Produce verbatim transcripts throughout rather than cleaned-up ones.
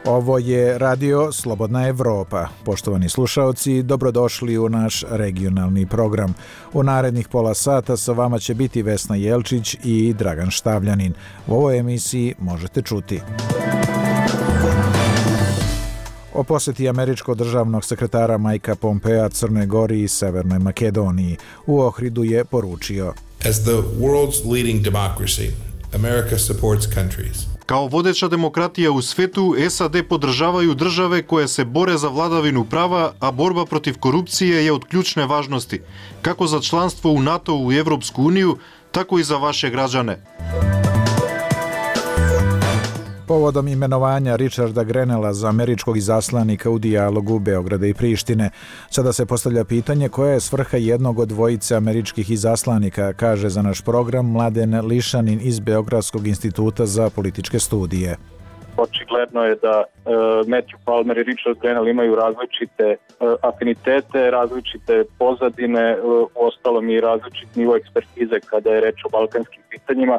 Ovo je Radio Slobodna Evropa. Poštovani slušaoci, dobrodošli u naš regionalni program. U narednih pola sata sa vama će biti Vesna Jelčić i Dragan Štavljanin. U ovoj emisiji možete čuti o posjeti američkog državnog sekretara Mikea Pompea Crnoj Gori i Severnoj Makedoniji. U Ohridu je poručio: As the world's leading democracy, America supports countries. Kao vodeća demokratija u svetu, SAD podržavaju države koje se bore za vladavinu prava, a borba protiv korupcije je od ključne važnosti, kako za članstvo u NATO i Evropsku uniju, tako i za vaše građane. Povodom imenovanja Richarda Grenella za američkog izaslanika u dijalogu Beograda i Prištine, sada se postavlja pitanje koja je svrha jednog od dvojice američkih izaslanika, kaže za naš program Mladen Lišanin iz Beogradskog instituta za političke studije. Očigledno je da uh, Matthew Palmer i Richard Grenell imaju različite uh, afinitete, različite pozadine, uh, uostalom i različit nivo ekspertize kada je reč o balkanskim pitanjima.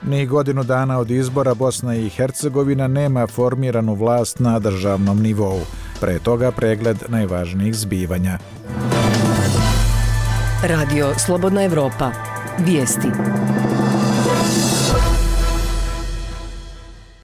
Ni godinu dana od izbora Bosna i Hercegovina nema formiranu vlast na državnom nivou. Pre toga pregled najvažnijih zbivanja. Radio Slobodna Evropa. Vijesti.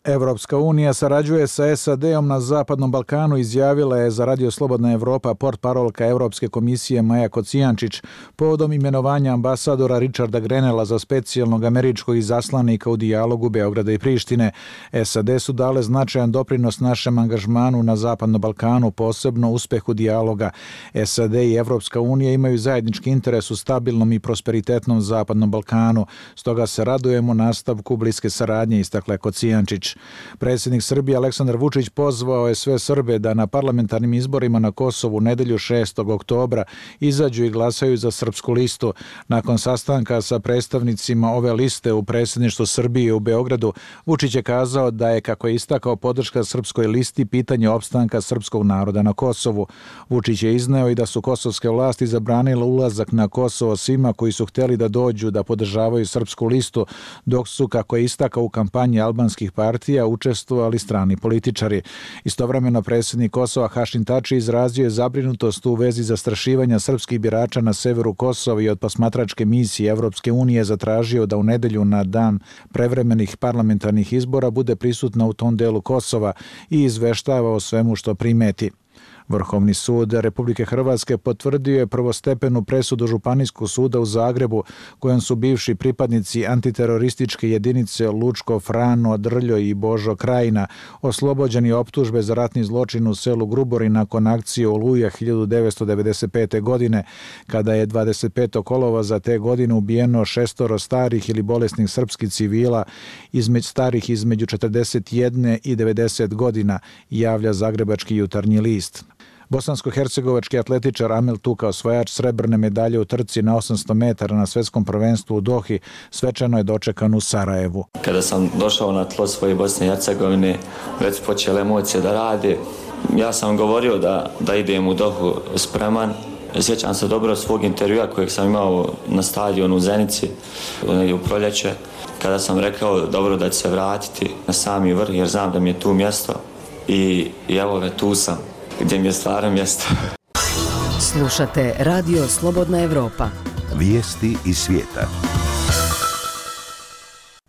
Evropska unija sarađuje sa S A D-om na Zapadnom Balkanu, izjavila je za Radio Slobodna Evropa portparolka Evropske komisije Maja Kocijančić povodom imenovanja ambasadora Richarda Grenella za specijalnog američkog izaslanika u dijalogu Beograda i Prištine. S A D su dale značajan doprinos našem angažmanu na Zapadnom Balkanu, posebno uspehu dijaloga. S A D i Evropska unija imaju zajednički interes u stabilnom i prosperitetnom Zapadnom Balkanu, stoga se radujemo nastavku bliske saradnje, istakla Kocijančić. Predsjednik Srbije Aleksandar Vučić pozvao je sve Srbe da na parlamentarnim izborima na Kosovu nedelju šestog oktobra izađu i glasaju za srpsku listu. Nakon sastanka sa predstavnicima ove liste u predsjedništvu Srbije u Beogradu, Vučić je kazao da je, kako je istakao, podrška srpskoj listi pitanje opstanka srpskog naroda na Kosovu. Vučić je izneo i da su kosovske vlasti zabranile ulazak na Kosovo svima koji su htjeli da dođu da podržavaju srpsku listu, dok su, kako je istakao u kampanji albanskih partija, učestvovali strani političari. Istovremeno predsjednik Kosova Hašim Tači izrazio je zabrinutost u vezi zastrašivanja srpskih birača na severu Kosova i od posmatračke misije Evropske unije zatražio da u nedelju na dan prevremenih parlamentarnih izbora bude prisutna u tom delu Kosova i izveštava o svemu što primeti. Vrhovni sud Republike Hrvatske potvrdio je prvostepenu presudu Županijskog suda u Zagrebu, kojom su bivši pripadnici antiterorističke jedinice Lučko, Frano, Drljo i Božo Krajina oslobođeni optužbe za ratni zločin u selu Grubori nakon akcije Oluja hiljadu devetsto devedeset pete. godine, kada je dvadeset petog kolovoza te godine ubijeno šestoro starih ili bolesnih srpskih civila između starih između četrdeset jedne i devedeset godina, javlja Zagrebački jutarnji list. Bosansko-hercegovački atletičar Amil Tuka, osvajač srebrne medalje u trci na osamsto metara na svjetskom prvenstvu u Dohi, svečano je dočekan u Sarajevu. Kada sam došao na tlo svoje Bosne i Hercegovine, već počele emocije da rade. Ja sam govorio da, da idem u Dohu spreman. Sjećam se dobro svog intervjua kojeg sam imao na stadionu u Zenici u proljeće, kada sam rekao dobro da ću se vratiti na sami vrh jer znam da mi je tu mjesto i, i evo ga, tu sam. Gdje mi je stvarno mjesto. Slušate Radio Slobodna Evropa. Vijesti iz svijeta.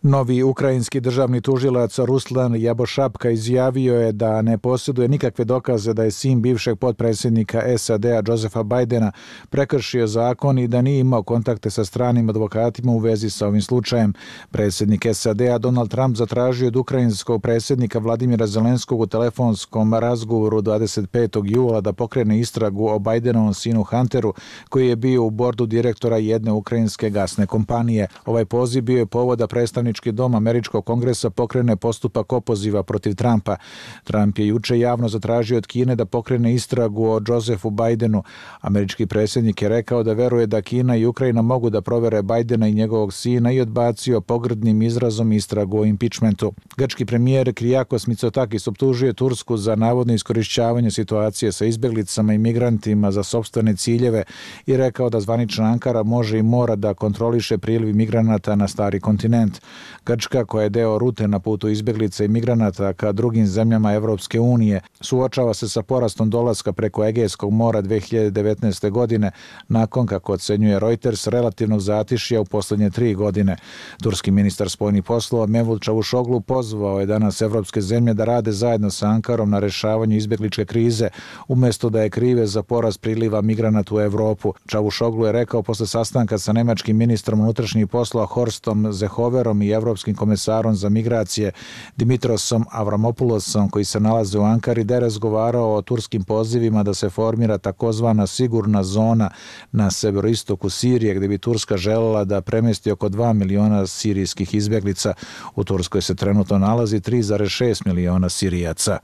Novi ukrajinski državni tužilac Ruslan Jabošapka izjavio je da ne posjeduje nikakve dokaze da je sin bivšeg potpredsjednika S A D-a Josefa Bidena prekršio zakon i da nije imao kontakte sa stranim advokatima u vezi sa ovim slučajem. Predsjednik S A D-a Donald Trump zatražio od ukrajinskog predsjednika Vladimira Zelenskog u telefonskom razgovoru dvadeset petog jula da pokrene istragu o Bidenovom sinu Hunteru, koji je bio u bordu direktora jedne ukrajinske gasne kompanije. Ovaj poziv bio je povod da predstavnički predstavnički dom američkog kongresa pokrene postupak opoziva protiv Trumpa. Trump je juče javno zatražio od Kine da pokrene istragu o Josephu Bidenu. Američki predsjednik je rekao da veruje da Kina i Ukrajina mogu da provere Bidena i njegovog sina i odbacio pogrdnim izrazom istragu o impičmentu. Grčki premijer Kyriakos Mitsotakis optužuje Tursku za navodno iskorišćavanje situacije sa izbjeglicama i migrantima za sopstvene ciljeve i rekao da zvanična Ankara može i mora da kontroliše priliv migranata na stari kontinent. Grčka, koja je deo rute na putu izbjeglica i migranata ka drugim zemljama Evropske unije, suočava se sa porastom dolaska preko Egejskog mora dve hiljade devetnaeste. godine, nakon, kako ocenjuje Reuters, relativnog zatišja u posljednje tri godine. Turski ministar spoljnih poslova Mevlut Čavuşoglu pozvao je danas evropske zemlje da rade zajedno sa Ankarom na rešavanju izbjegličke krize, umjesto da je krive za porast priliva migranata u Evropu. Čavuşoglu je rekao posle sastanka sa nemačkim ministrom unutrašnjih poslova Horstom Seehoferom i evropskim komesarom za migracije Dimitrosom Avramopulosom, koji se nalaze u Ankari, da je razgovarao o turskim pozivima da se formira takozvana sigurna zona na severoistoku Sirije, gdje bi Turska željela da premjesti oko dva miliona sirijskih izbjeglica. U Turskoj se trenutno nalazi tri zarez šest miliona Sirijaca.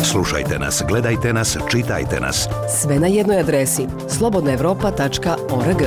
Slušajte nas, gledajte nas, čitajte nas. Sve na jednoj adresi slobodna evropa tačka org.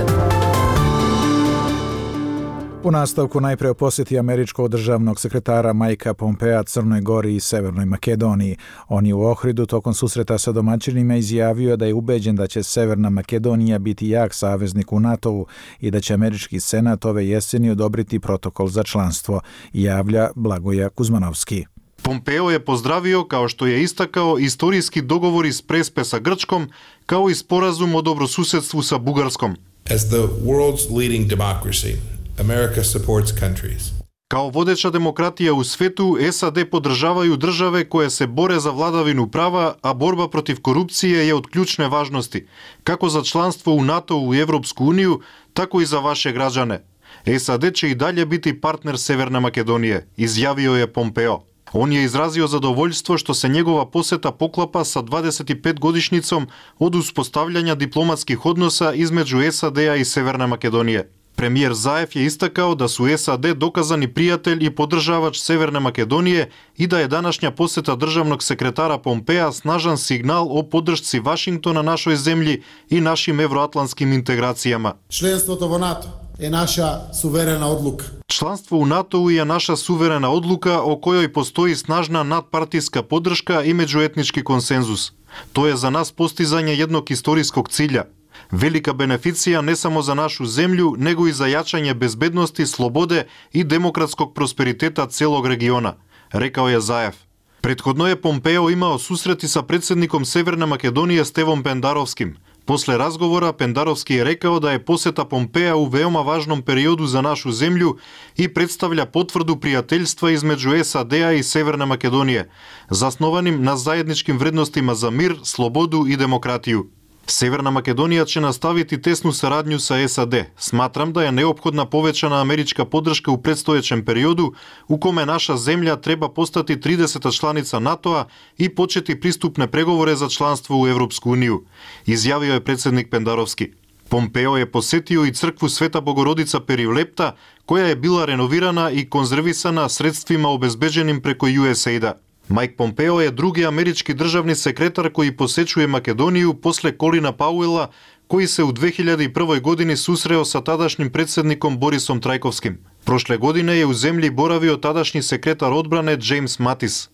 U nastavku najprije o posjeti američkog državnog sekretara Mikea Pompea Crnoj Gori i Severnoj Makedoniji. On je u Ohridu tokom susreta sa domaćinima izjavio da je ubeđen da će Severna Makedonija biti jak saveznik u NATO-u i da će američki senat ove jeseni odobriti protokol za članstvo, javlja Blagoja Kuzmanovski. Pompeo je pozdravio, kao što je istakao, istorijski dogovor iz Prespe sa Grčkom, kao i sporazum o dobrosusedstvu sa Bugarskom. As the world's leading democracy, America supports countries. Kao vodeća demokratija u svetu, S A D podržavaju države koje se bore za vladavinu prava, a borba protiv korupcije je od ključne važnosti, kako za članstvo u NATO i Evropsku uniju, tako i za vaše građane. S A D će i dalje biti partner Severne Makedonije, izjavio je Pompeo. On je izrazio zadovoljstvo što se njegova poseta poklapa sa dvadesetipetgodišnjicom od uspostavljanja diplomatskih odnosa između S A D-a i Severne Makedonije. Premijer Zaev je istakao da su S A D dokazani prijatelj i podržavač Severne Makedonije i da je današnja poseta državnog sekretara Pompea snažan signal o podršci Vašingtona našoj zemlji i našim evroatlantskim integracijama. Členstvo u NATO je naša suverena odluka. Članstvo u NATO-u je naša suverena odluka o kojoj postoji snažna nadpartijska podrška i međuetnički konsenzus. To je za nas postizanje jednog istorijskog cilja. Velika beneficija ne samo za našu zemlju, nego i za jačanje bezbednosti, slobode i demokratskog prosperiteta celog regiona, rekao je Zaev. Prethodno je Pompeo imao susreti sa predsjednikom Severne Makedonije Stevom Pendarovskim. Posle razgovora Pendarovski je rekao da je poseta Pompea u veoma važnom periodu za našu zemlju i predstavlja potvrdu prijateljstva između S A D-a i Severne Makedonije, zasnovanim na zajedničkim vrednostima za mir, slobodu i demokratiju. Severna Makedonija će nastaviti tesnu saradnju sa S A D. Smatram da je neophodna povećana američka podrška u predstojećem periodu u kome naša zemlja treba postati trideseta članica NATO-a i početi pristupne pregovore za članstvo u Evropsku uniju, izjavio je predsjednik Pendarovski. Pompeo je posetio i crkvu Sveta Bogorodica Perivlepta, koja je bila renovirana i konzervisana sredstvima obezbeđenim preko U S A I D-a. Mike Pompeo je drugi američki državni sekretar koji posećuje Makedoniju posle Colina Powella, koji se u dve hiljade prve. godini susreo sa tadašnjim predsjednikom Borisom Trajkovskim. Prošle godine je u zemlji boravio tadašnji sekretar odbrane James Mattis.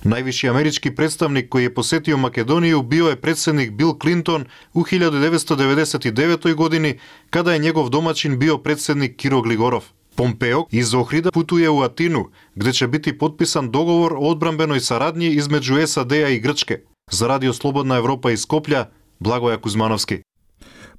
Najviši američki predstavnik koji je posetio Makedoniju bio je predsjednik Bill Clinton u hiljadu devetsto devedeset devetoj. godini, kada je njegov domaćin bio predsjednik Kiro Gligorov. Pompeo iz Ohrida putuje u Atinu, gdje će biti potpisan dogovor o odbrambenoj saradnji između S A D-a i Grčke. Za Radio Slobodna Evropa iz Skoplja, Blagoja Kuzmanovski.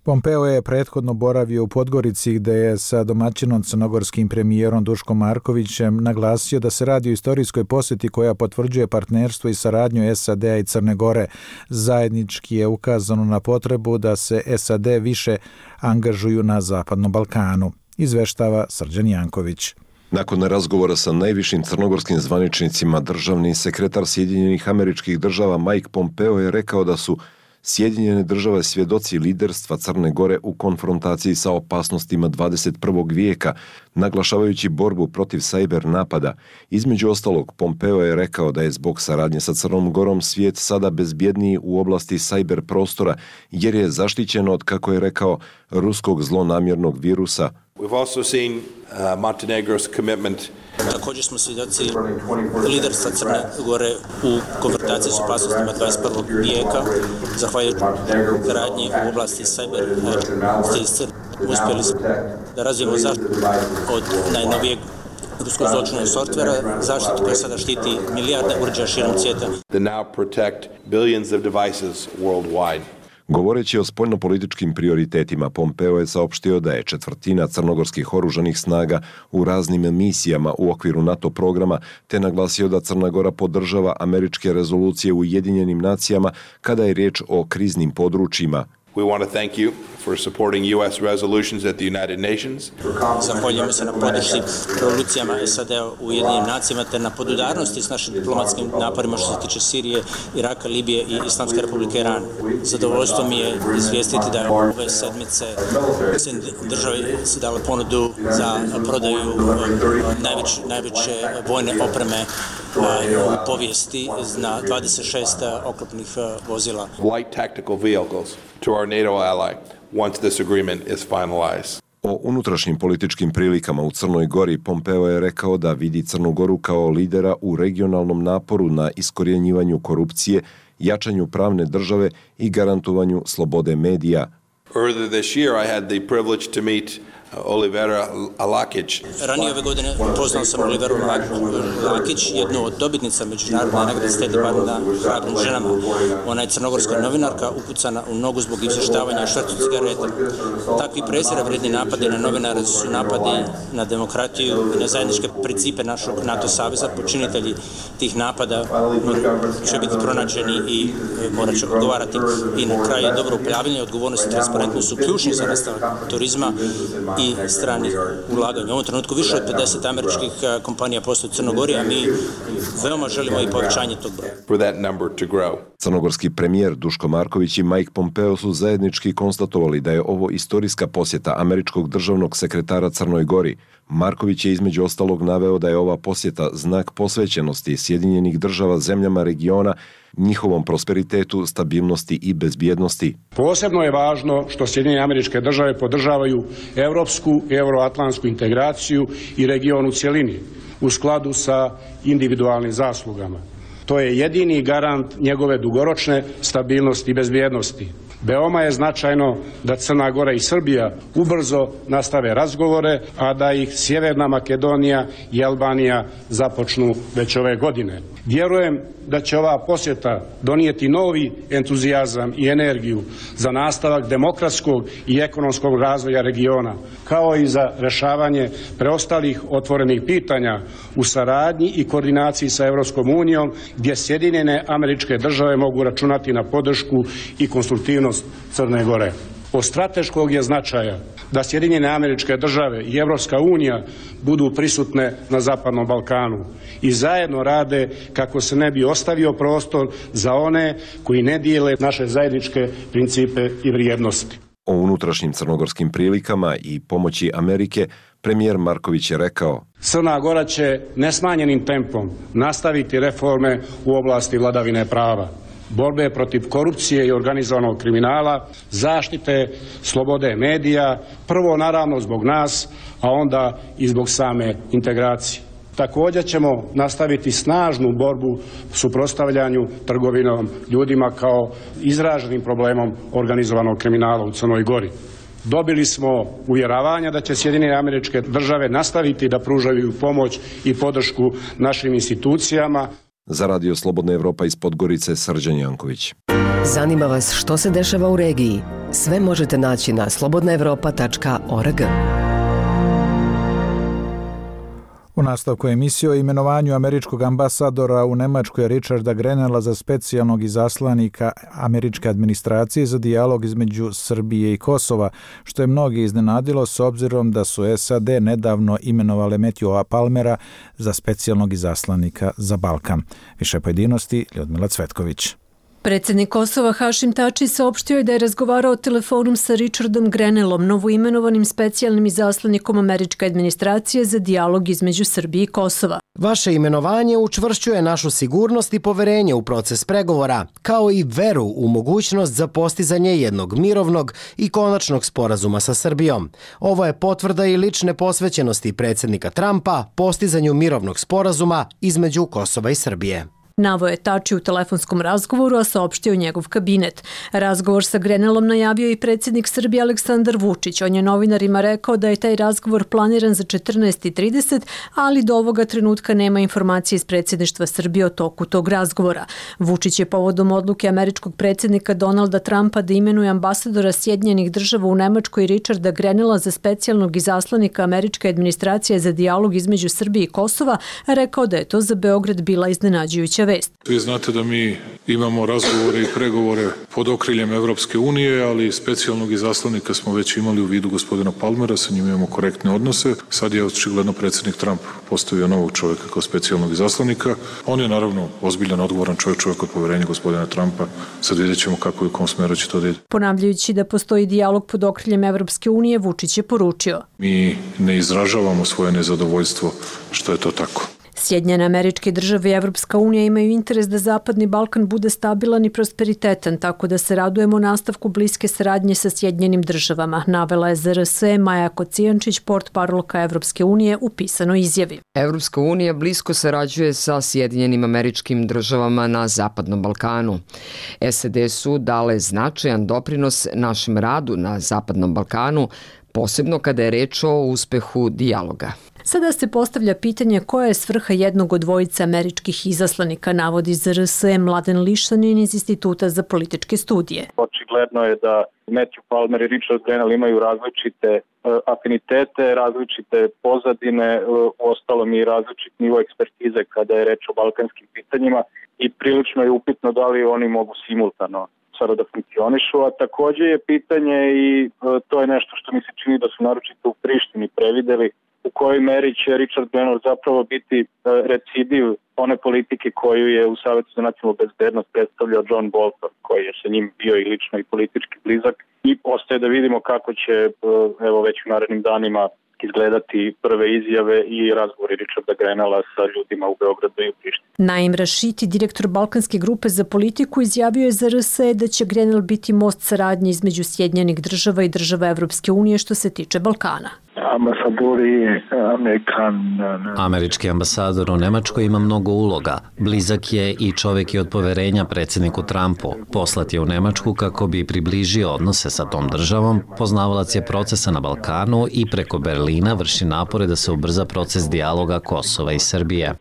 Pompeo je prethodno boravio u Podgorici, gdje je sa domaćinom crnogorskim premijerom Duškom Markovićem naglasio da se radi o istorijskoj posjeti koja potvrđuje partnerstvo i saradnju S A D-a i Crne Gore. Zajednički je ukazano na potrebu da se S A D više angažuju na Zapadnom Balkanu, izveštava Srđan Janković. Nakon razgovora sa najvišim crnogorskim zvaničnicima, državni sekretar Sjedinjenih Američkih Država Mike Pompeo je rekao da su Sjedinjene države svjedoci liderstva Crne Gore u konfrontaciji sa opasnostima dvadeset prvog vijeka, naglašavajući borbu protiv sajber napada. Između ostalog, Pompeo je rekao da je zbog saradnje sa Crnom Gorom svijet sada bezbjedniji u oblasti sajber prostora, jer je zaštićen od, kako je rekao, ruskog zlonamjernog virusa. We've also seen uh, Montenegro's commitment. Također smo svjedoci liderstva Crne Gore u konfrontaciji s opasnostima dvadeset prvog vijeka, zahvaljujući radnji u oblasti cyber stilice. Uspjeli smo da razvijemo zaštitu od najnovijeg ruskog zločinnog softvera, zaštitu koja sada štiti milijarde uređaja širom svijeta. That now protect billions of devices worldwide. Govoreći o spoljnopolitičkim prioritetima, Pompeo je saopštio da je četvrtina crnogorskih oružanih snaga u raznim misijama u okviru NATO programa, te naglasio da Crna Gora podržava američke rezolucije u Ujedinjenim nacijama kada je riječ o kriznim područjima. We want to thank you for supporting U S resolutions at the United Nations. Zahvaljujemo se na podršci rezolucijama S A D-a u Ujedinjenim nacijama te na podudarnosti s našim diplomatskim naporima što se tiče Sirije, Iraka, Libije i Islamske republike Iran. Zadovoljstvo mi je izvijestiti da je ove sedmice države se dale ponudu za prodaju najveće, najveće vojne opreme u povijesti na dvadeset šest oklopnih vozila. Light tactical vehicles to our NATO ally once this agreement is finalized. O unutrašnjim političkim prilikama u Crnoj Gori Pompeo je rekao da vidi Crnu Goru kao lidera u regionalnom naporu na iskorjenjivanju korupcije, jačanju pravne države i garantovanju slobode medija. Earlier this year I had the privilege to meet Olivera Lakić. Ranije ove godine poznao sam Oliveru Lakić, jednu od dobitnica međunarodne nagrade State Departmenta hrabrim ženama. Ona je crnogorska novinarka upucana u nogu zbog izvještavanja švercu cigareta. Takvi prezira vredni napadi na novinare su napadi na demokratiju i na zajedničke principe našeg NATO saveza. Počinitelji tih napada će biti pronađeni i morat će odgovarati. I na kraju dobro upravljanje, odgovornost i transparentnost su ključni za nastavak turizma i stranih ulaganja. U ovom trenutku više od pedeset američkih kompanija postoje u Crnoj Gori, a mi veoma želimo i povećanje tog broja. Crnogorski premijer Duško Marković i Mike Pompeo su zajednički konstatovali da je ovo istorijska posjeta američkog državnog sekretara Crnoj Gori. Marković je između ostalog naveo da je ova posjeta znak posvećenosti Sjedinjenih država zemljama regiona, njihovom prosperitetu, stabilnosti i bezbjednosti. Posebno je važno što Sjedinjene Američke Države podržavaju evropsku i euroatlantsku integraciju i region u cjelini u skladu sa individualnim zaslugama. To je jedini garant njegove dugoročne stabilnosti i bezbjednosti. Veoma je značajno da Crna Gora i Srbija ubrzo nastave razgovore, a da ih Sjeverna Makedonija i Albanija započnu već ove godine. Vjerujem da će ova posjeta donijeti novi entuzijazam i energiju za nastavak demokratskog i ekonomskog razvoja regiona, kao i za rješavanje preostalih otvorenih pitanja u saradnji i koordinaciji sa Europskom unijom, gdje Sjedinjene Američke Države mogu računati na podršku i konstruktivnost Crne Gore. Od strateškog je značaja da Sjedinjene Američke Države i Europska unija budu prisutne na Zapadnom Balkanu i zajedno rade kako se ne bi ostavio prostor za one koji ne dijele naše zajedničke principe i vrijednosti. O unutrašnjim crnogorskim prilikama i pomoći Amerike premijer Marković je rekao: Crna Gora će nesmanjenim tempom nastaviti reforme u oblasti vladavine prava, borbe protiv korupcije i organizovanog kriminala, zaštite slobode medija, prvo naravno zbog nas, a onda i zbog same integracije. Također ćemo nastaviti snažnu borbu suprotstavljanju trgovinom ljudima kao izraženim problemom organizovanog kriminala u Crnoj Gori. Dobili smo uvjeravanja da će Sjedinjene Američke Države nastaviti da pružaju pomoć i podršku našim institucijama. Za Radio Slobodna Evropa iz Podgorice, Srđan Janković. Zanima vas što se dešava u regiji? Sve možete naći na slobodna evropa tačka org. U nastavku emisije o imenovanju američkog ambasadora u Nemačkoj Richarda Grenella za specijalnog izaslanika američke administracije za dijalog između Srbije i Kosova, što je mnogi iznenadilo s obzirom da su S A D nedavno imenovale Matthewa Palmera za specijalnog izaslanika za Balkan. Više pojedinosti, Ljudmila Cvetković. Predsjednik Kosova Hašim Tači saopštio je da je razgovarao telefonom sa Richardom Grenellom, novoimenovanim specijalnim izaslanikom američke administracije za dijalog između Srbije i Kosova. Vaše imenovanje učvršćuje našu sigurnost i poverenje u proces pregovora, kao i veru u mogućnost za postizanje jednog mirovnog i konačnog sporazuma sa Srbijom. Ovo je potvrda i lične posvećenosti predsjednika Trumpa postizanju mirovnog sporazuma između Kosova i Srbije. Navo je Tači u telefonskom razgovoru, a saopštio njegov kabinet. Razgovor sa Grenellom najavio i predsjednik Srbije Aleksandar Vučić. On je novinarima rekao da je taj razgovor planiran za četrnaest i trideset, ali do ovoga trenutka nema informacije iz predsjedništva Srbije o toku tog razgovora. Vučić je povodom odluke američkog predsjednika Donalda Trumpa da imenuje ambasadora Sjedinjenih država u Nemačkoj Richarda Grenella za specijalnog izaslanika američke administracije za dijalog između Srbije i Kosova rekao da je to za Beograd bila iznenađujuća vest. Vi znate da mi imamo razgovore i pregovore pod okriljem Evropske unije, ali specijalnog izaslanika smo već imali u vidu gospodina Palmera, sa njim imamo korektne odnose. Sad je očigledno predsjednik Trump postavio novog čovjeka kao specijalnog izaslanika. On je naravno ozbiljan, odgovoran čovjek, čovjek od poverenja gospodina Trumpa. Sad vidjet ćemo kako i u kom smeru će to da ide. Ponavljajući da postoji dijalog pod okriljem Evropske unije, Vučić je poručio: Mi ne izražavamo svoje nezadovoljstvo što je to tako. Sjedinjene Američke države i Evropska unija imaju interes da Zapadni Balkan bude stabilan i prosperitetan, tako da se radujemo nastavku bliske saradnje sa Sjedinjenim državama, navela je Z R S Maja Kocijančić, portparolka Evropske unije, u pisanoj izjavi. Evropska unija blisko sarađuje sa Sjedinjenim Američkim državama na Zapadnom Balkanu. S A D su dale značajan doprinos našem radu na Zapadnom Balkanu, posebno kada je reč o uspehu dijaloga. Sada se postavlja pitanje koja je svrha jednog od dvojice američkih izaslanika, navodi Z R S Mladen Lišanin iz Instituta za političke studije. Očigledno je da Matthew Palmer i Richard Grenell imaju različite afinitete, različite pozadine, uostalom i različit nivo ekspertize kada je reč o balkanskim pitanjima i prilično je upitno da li oni mogu simultano sada da funkcionišu, a takođe je pitanje i to je nešto što mi se čini da su naročito u Prištini prevideli, u kojoj meri će Richard Grenell zapravo biti recidiv one politike koju je u Savetu za nacionalnu bezbednost predstavljao John Bolton, koji je sa njim bio i lično i politički blizak, i ostaje da vidimo kako će evo već u narednim danima izgledati prve izjave i razgovori Richarda Grenella sa ljudima u Beogradu i u Prištini. Naim Rašiti, direktor Balkanske grupe za politiku, izjavio je za R S E da će Grenell biti most saradnje između Sjedinjenih država i država Evropske unije što se tiče Balkana. Američki ambasador u Nemačkoj ima mnogo uloga. Blizak je i čovjek je od poverenja predsjedniku Trumpu. Poslat je u Nemačku kako bi približio odnose sa tom državom. Poznavalac je procesa na Balkanu i preko Berlina vrši napore da se ubrza proces dijaloga Kosova i Srbije.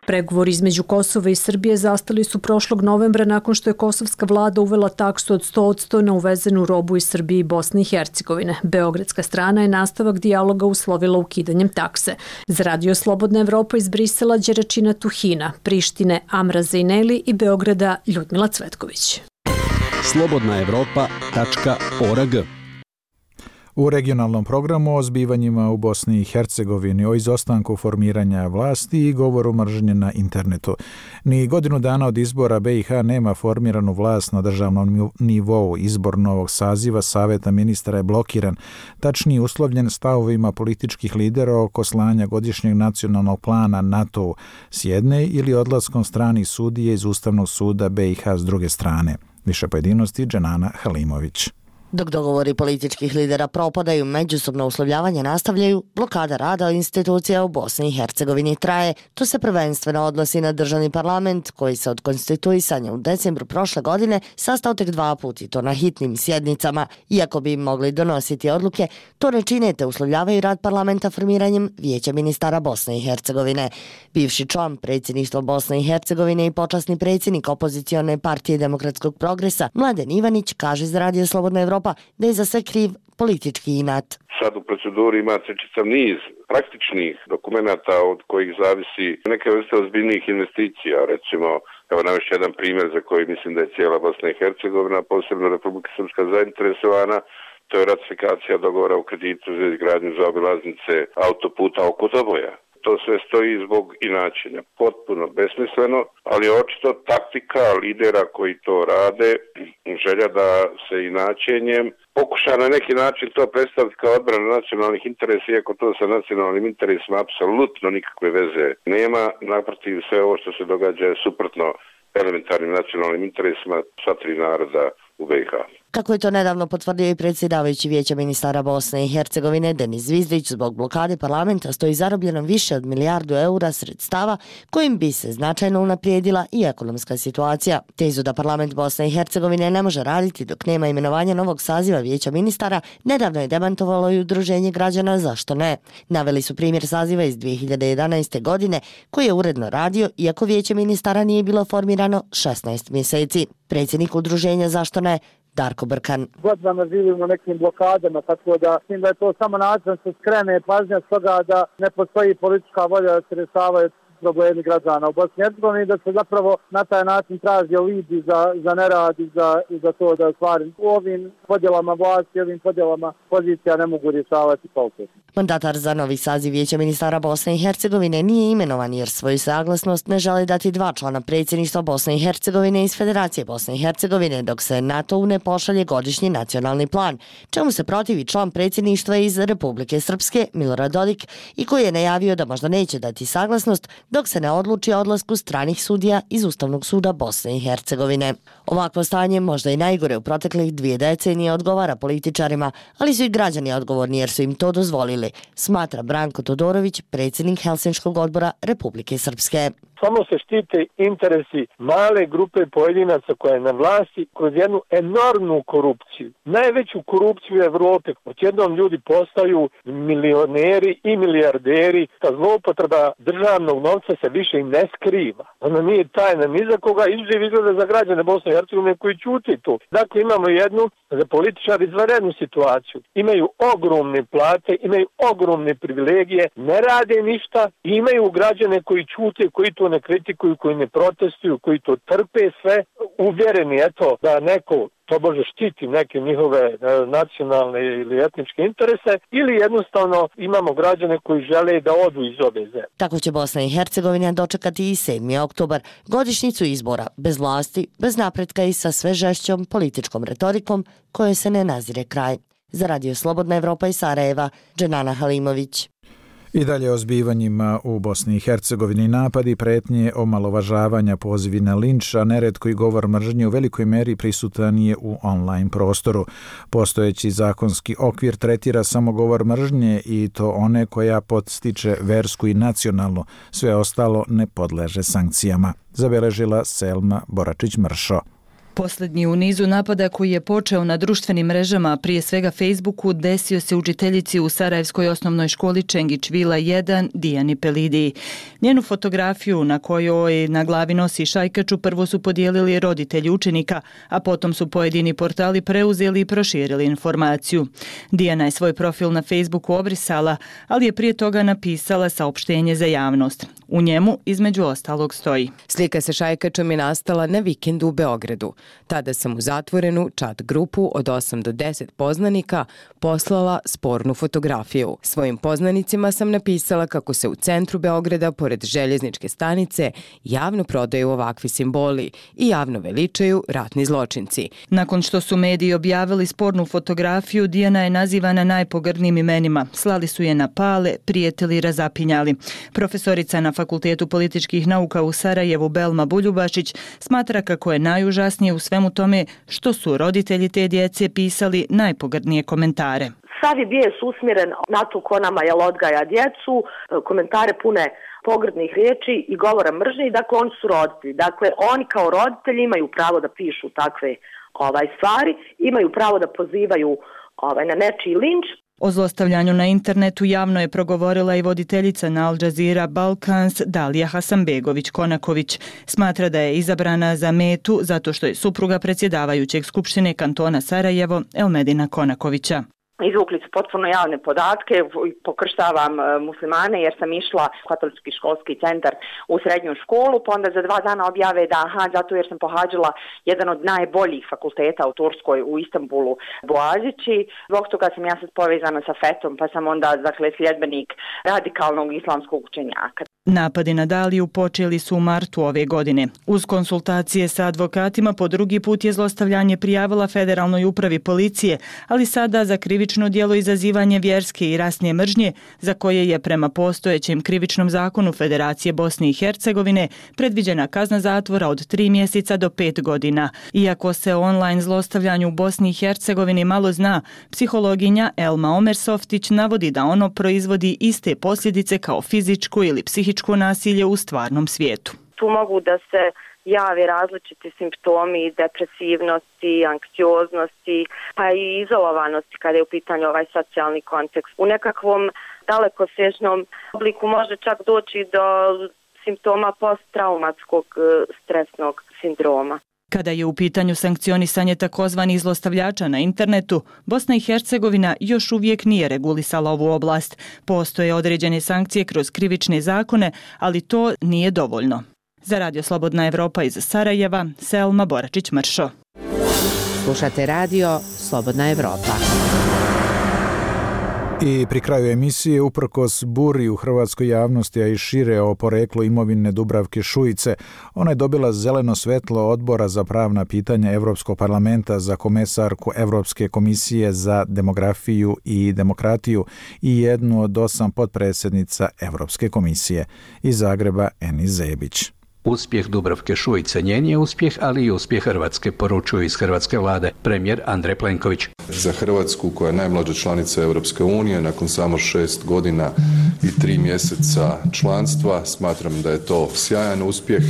Pregovori između Kosova i Srbije zastali su prošlog novembra nakon što je kosovska vlada uvela taksu od sto posto na uvezenu robu iz Srbije i Bosne i Hercegovine. Beogradska strana je nastavak dijaloga uslovila ukidanjem takse. Za Radio Slobodna Evropa iz Brisela Đeračina Tuhina, Prištine Amra Zejneli i Beograda Ljudmila Cvetković. slobodna evropa tačka org. U regionalnom programu o zbivanjima u Bosni i Hercegovini, o izostanku formiranja vlasti i govoru mržnje na internetu. Ni godinu dana od izbora B i H nema formiranu vlast na državnom nivou. Izbor novog saziva Saveta ministara je blokiran, tačnije uslovljen stavovima političkih lidera oko slanja godišnjeg nacionalnog plana NATO s jedne ili odlaskom stranih sudije iz Ustavnog suda B i H s druge strane. Više pojedinosti Dženana Halimović. Dok dogovori političkih lidera propadaju, međusobno uslovljavanje nastavljaju, blokada rada institucija u Bosni i Hercegovini traje. To se prvenstveno odnosi na državni parlament, koji se od konstituisanja u decembru prošle godine sastao tek dva puta i to na hitnim sjednicama. Iako bi im mogli donositi odluke, to ne čine te uslovljavaju rad parlamenta formiranjem Vijeća ministara Bosne i Hercegovine. Bivši član predsjedništva Bosne i Hercegovine i počasni predsjednik opozicione partije Demokratskog progresa Mladen Ivanić kaže za Radio Slobodna Evropa da je za sve kriv politički inat. Sad u proceduri imate čitav niz praktičnih dokumenata od kojih zavisi neke vrste ozbiljnih investicija. Recimo, evo navešću jedan primjer za koji mislim da je cijela Bosna i Hercegovina, posebno Republika Srpska zainteresovana. To je ratifikacija dogovora o kreditu za izgradnju zaobilaznice autoputa oko Doboja. To sve stoji zbog inačenja. Potpuno besmisleno, ali očito taktika lidera koji to rade, želja da se inačenjem pokuša na neki način to predstaviti kao odbrana nacionalnih interesa, iako to sa nacionalnim interesima apsolutno nikakve veze nema. Naprotiv, sve ovo što se događa je suprotno elementarnim nacionalnim interesima sva tri naroda u B i H. Kako je to nedavno potvrdio i predsjedavajući Vijeća ministara Bosne i Hercegovine Denis Zvizdić, zbog blokade parlamenta stoji zarobljeno više od milijardu eura sredstava kojim bi se značajno unaprijedila i ekonomska situacija. Tezu da parlament Bosne i Hercegovine ne može raditi dok nema imenovanja novog saziva Vijeća ministara nedavno je demantovalo i Udruženje građana Zašto ne. Naveli su primjer saziva iz dvije hiljade jedanaeste. godine koji je uredno radio iako Vijeće ministara nije bilo formirano šesnaest mjeseci. Predsjednik Udruženja Zašto ne Darko Brkan. Godinama živimo nekim blokadama, tako da mislim da je to samo način da se skrene pažnja s toga da ne postoji politička volja da se rješavaju problemi građana u Bosni i Hercegovini i da se zapravo na taj način traži alibi za, za nerad i za, i za to da stvari u ovim podjelama vlasti, ovim podjelama pozicija ne mogu rješavati kvalitetno. Mandatar za novi saziv Vijeća ministara Bosne i Hercegovine nije imenovan jer svoju saglasnost ne žele dati dva člana predsjedništva Bosne i Hercegovine iz Federacije Bosne i Hercegovine dok se NATO ne pošalje godišnji nacionalni plan, čemu se protivi član predsjedništva iz Republike Srpske Milorad Dodik i koji je najavio da možda neće dati saglasnost dok se ne odluči o odlasku stranih sudija iz Ustavnog suda Bosne i Hercegovine. Ovakvo stanje možda i najgore u proteklih dvije decenije odgovara političarima, ali su i građani odgovorni jer su im to dozvolili, smatra Branko Todorović, predsjednik Helsinškog odbora Republike Srpske. Samo se štite interesi male grupe pojedinaca koja je na vlasti kroz jednu enormnu korupciju. Najveću korupciju u Evropi. Odjednom ljudi postaju milioneri i milijarderi. Ta zloupotreba državnog novca se više i ne skriva. Ona nije tajna ni za koga, izuzev izgleda za građane Bosne i Hercegovine koji ćuti tu. Dakle, imamo jednu za političari izvanrednu situaciju. Imaju ogromne plate, imaju ogromne privilegije, ne rade ništa i imaju građane koji ćute, koji to ne kritikuju, koji ne protestuju, koji to trpe sve, uvjereni eto da neko to može štiti neke njihove nacionalne ili etničke interese ili jednostavno imamo građane koji žele da odu iz ove zemlje. Tako će Bosna i Hercegovina dočekati i sedmi oktobar, godišnjicu izbora, bez vlasti, bez napretka i sa sve žešćom političkom retorikom kojoj se ne nazire kraj. Za Radio Slobodna Evropa iz Sarajeva, Dženana Halimović. I dalje o zbivanjima u Bosni i Hercegovini napadi, pretnje, omalovažavanja, pozivi na linč, a neretko i govor mržnje u velikoj meri prisutan je u online prostoru. Postojeći zakonski okvir tretira samo govor mržnje i to one koja podstiče versku i nacionalnu, sve ostalo ne podleže sankcijama, zabeležila Selma Boračić-Mršo. Poslednji u nizu napada koji je počeo na društvenim mrežama, prije svega Facebooku, desio se učiteljici u Sarajevskoj osnovnoj školi Čengić Vila jedan Dijani Pelidiji. Njenu fotografiju na kojoj na glavi nosi šajkaču prvo su podijelili roditelji učenika, a potom su pojedini portali preuzeli i proširili informaciju. Dijana je svoj profil na Facebooku obrisala, ali je prije toga napisala saopštenje za javnost. U njemu, između ostalog, stoji: Slika sa šajkačom je nastala na vikendu u Beogradu. Tada sam u zatvorenu chat grupu od osam do deset poznanika poslala spornu fotografiju. Svojim poznanicima sam napisala kako se u centru Beograda, pored željezničke stanice, javno prodaju ovakvi simboli i javno veličaju ratni zločinci. Nakon što su mediji objavili spornu fotografiju, Dijana je nazivana najpogrdnijim imenima. Slali su je na pale, prijetili i razapinjali. Profesorica na Fakultetu političkih nauka u Sarajevu Belma Buljubašić smatra kako je najužasnije u svemu tome što su roditelji te djece pisali najpogrdnije komentare. Sav je bijes usmjeren na to ko nama jel odgaja djecu, komentare pune pogrdnih riječi i govora mržnje i dakle oni su roditelji. Dakle oni kao roditelji imaju pravo da pišu takve ovaj, stvari, imaju pravo da pozivaju ovaj, na nečiji linč. O zlostavljanju na internetu javno je progovorila i voditeljica na Al Jazeera Balkans Dalija Hasanbegović-Konaković. Smatra da je izabrana za metu zato što je supruga predsjedavajućeg Skupštine kantona Sarajevo Elmedina Konakovića. Izvukli su potpuno javne podatke, pokrštavam muslimane jer sam išla u katolički školski centar u srednju školu, pa onda za dva dana objave da aha, zato jer sam pohađala jedan od najboljih fakulteta u Turskoj, u Istanbulu, Boazići. Zbog toga sam ja sad povezana sa fetom, pa sam onda dakle, sljedbenik radikalnog islamskog učenjaka. Napadi na Daliju počeli su u martu ove godine. Uz konsultacije sa advokatima po drugi put je zlostavljanje prijavila Federalnoj upravi policije, ali sada za krivično djelo izazivanje vjerske i rasne mržnje, za koje je prema postojećem krivičnom zakonu Federacije Bosne i Hercegovine predviđena kazna zatvora od tri mjeseca do pet godina. Iako se o online zlostavljanju u Bosni i Hercegovini malo zna, psihologinja Elma Omersoftić navodi da ono proizvodi iste posljedice kao fizičko ili psihičko nasilje u stvarnom svijetu. Tu mogu da se jave različiti simptomi depresivnosti, anksioznosti, pa i izolovanosti kada je u pitanju ovaj socijalni kontekst. U nekakvom dalekosežnom obliku može čak doći do simptoma posttraumatskog stresnog sindroma. Kada je u pitanju sankcionisanje takozvanih zlostavljača na internetu, Bosna i Hercegovina još uvijek nije regulisala ovu oblast. Postoje određene sankcije kroz krivične zakone, ali to nije dovoljno. Za Radio Slobodna Evropa iz Sarajeva, Selma Boračić-Mršo. Slušate radio Slobodna Evropa. I pri kraju emisije, uprkos buri u hrvatskoj javnosti, a i šire o poreklu imovine Dubravke Šuice, ona je dobila zeleno svetlo Odbora za pravna pitanja Evropskog parlamenta za komesarku Evropske komisije za demografiju i demokratiju i jednu od osam potpredsjednica Evropske komisije. Iz Zagreba, Enis Zebić. Uspjeh Dubravke Šuice njen je uspjeh, ali i uspjeh Hrvatske, poručuju iz hrvatske vlade premijer Andrej Plenković. Za Hrvatsku, koja je najmlađa članica Europske unije, nakon samo šest godina i tri mjeseca članstva, smatram da je to sjajan uspjeh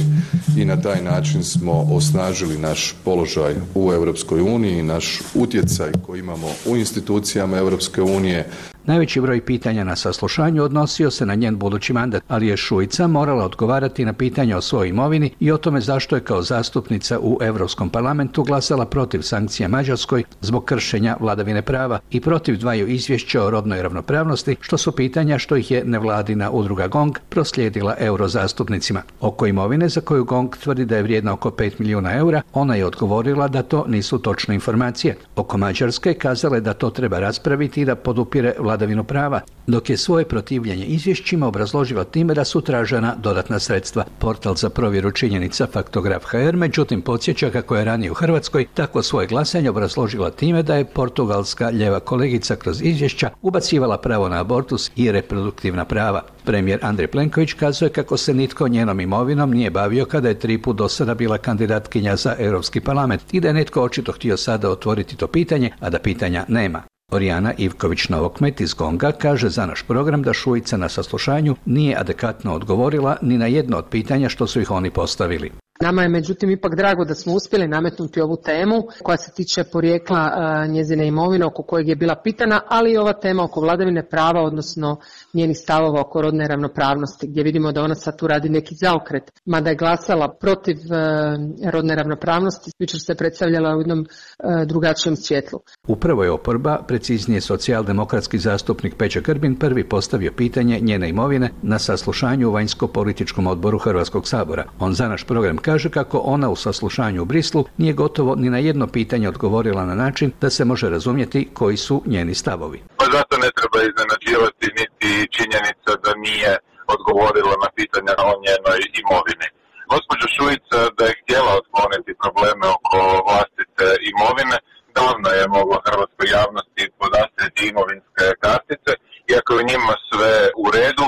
i na taj način smo osnažili naš položaj u Europskoj uniji, naš utjecaj koji imamo u institucijama Europske unije. Najveći broj pitanja na saslušanju odnosio se na njen budući mandat, ali je Šuica morala odgovarati na pitanja o svojoj imovini i o tome zašto je kao zastupnica u Europskom parlamentu glasala protiv sankcija Mađarskoj zbog kršenja vladavine prava i protiv dvaju izvješća o rodnoj ravnopravnosti, što su pitanja što ih je nevladina udruga GONG proslijedila eurozastupnicima. Oko imovine, za koju GONG tvrdi da je vrijedna oko pet milijuna eura, ona je odgovorila da to nisu točne informacije. Oko Mađarske kazala je da to treba raspraviti i da podupire vladavinu prava, dok je svoje protivljenje izvješćima obrazložila time da su tražena dodatna sredstva. Portal za provjeru činjenica Faktograf H R međutim podsjeća kako je ranije u Hrvatskoj tako svoje glasanje obrazložila time da je portugalska ljeva kolegica kroz izvješća ubacivala pravo na abortus i reproduktivna prava. Premijer Andrej Plenković kazuje kako se nitko njenom imovinom nije bavio kada je tri put do sada bila kandidatkinja za Europski parlament i da je netko očito htio sada otvoriti to pitanje, a da pitanja nema. Orijana Ivković-Novokmet iz GONGA kaže za naš program da Šuica na saslušanju nije adekvatno odgovorila ni na jedno od pitanja što su ih oni postavili. Nama je međutim ipak drago da smo uspjeli nametnuti ovu temu koja se tiče porijekla uh, njezine imovine oko kojeg je bila pitana, ali i ova tema oko vladavine prava, odnosno njenih stavova oko rodne ravnopravnosti, gdje vidimo da ona sad tu radi neki zaokret. Mada je glasala protiv uh, rodne ravnopravnosti, jučer se predstavljala u jednom uh, drugačijem svjetlu. Upravo je oporba, preciznije socijaldemokratski zastupnik Peđa Grbin, prvi postavio pitanje njene imovine na saslušanju u vanjsko-političkom odboru Hrvatskog sabora. On za naš program kaže kako ona u saslušanju u Brislu nije gotovo ni na jedno pitanje odgovorila na način da se može razumjeti koji su njeni stavovi. Pa zato ne treba iznenađivati niti činjenica da nije odgovorila na pitanja o njenoj imovini. Gospođa Šuica da je htjela otkloniti probleme oko vlastite imovine, davno je mogla hrvatskoj javnosti podastrijeti imovinske kartice, iako je njima sve u redu,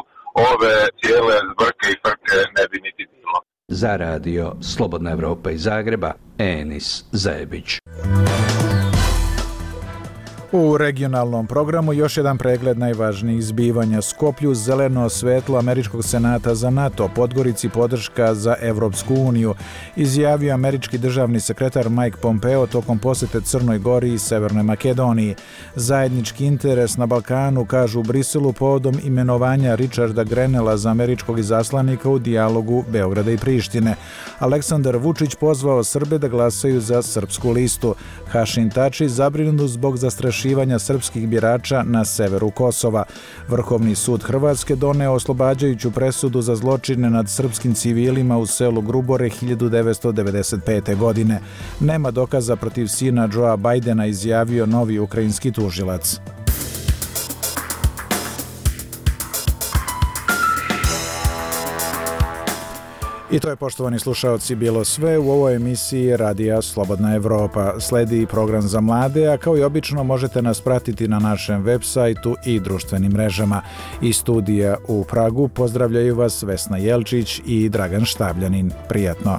ove cijele zbrke i frke ne bi niti bilo. Za radio Slobodna Evropa iz Zagreba, Enis Zebić. U regionalnom programu još jedan pregled najvažnijih zbivanja. Skoplju zeleno svetlo Američkog senata za NATO, Podgorici podrška za Evropsku uniju, izjavio američki državni sekretar Mike Pompeo tokom posjete Crnoj Gori i Severnoj Makedoniji. Zajednički interes na Balkanu, kažu u Briselu, povodom imenovanja Richarda Grenella za američkog izaslanika u dijalogu Beograda i Prištine. Aleksandar Vučić pozvao Srbe da glasaju za srpsku listu. Hašim Tači zabrinut zbog zastrašenja zastrašivanja srpskih birača na severu Kosova. Vrhovni sud Hrvatske doneo oslobađajuću presudu za zločine nad srpskim civilima u selu Grubore hiljadu devetsto devedeset pete. godine. Nema dokaza protiv sina Joea Bajdena, izjavio novi ukrajinski tužilac. I to je, poštovani slušaoci, bilo sve u ovoj emisiji Radija Slobodna Evropa. Sledi program za mlade, a kao i obično možete nas pratiti na našem web sajtu i društvenim mrežama. Iz studija u Pragu pozdravljaju vas Vesna Jelčić i Dragan Štabljanin. Prijatno!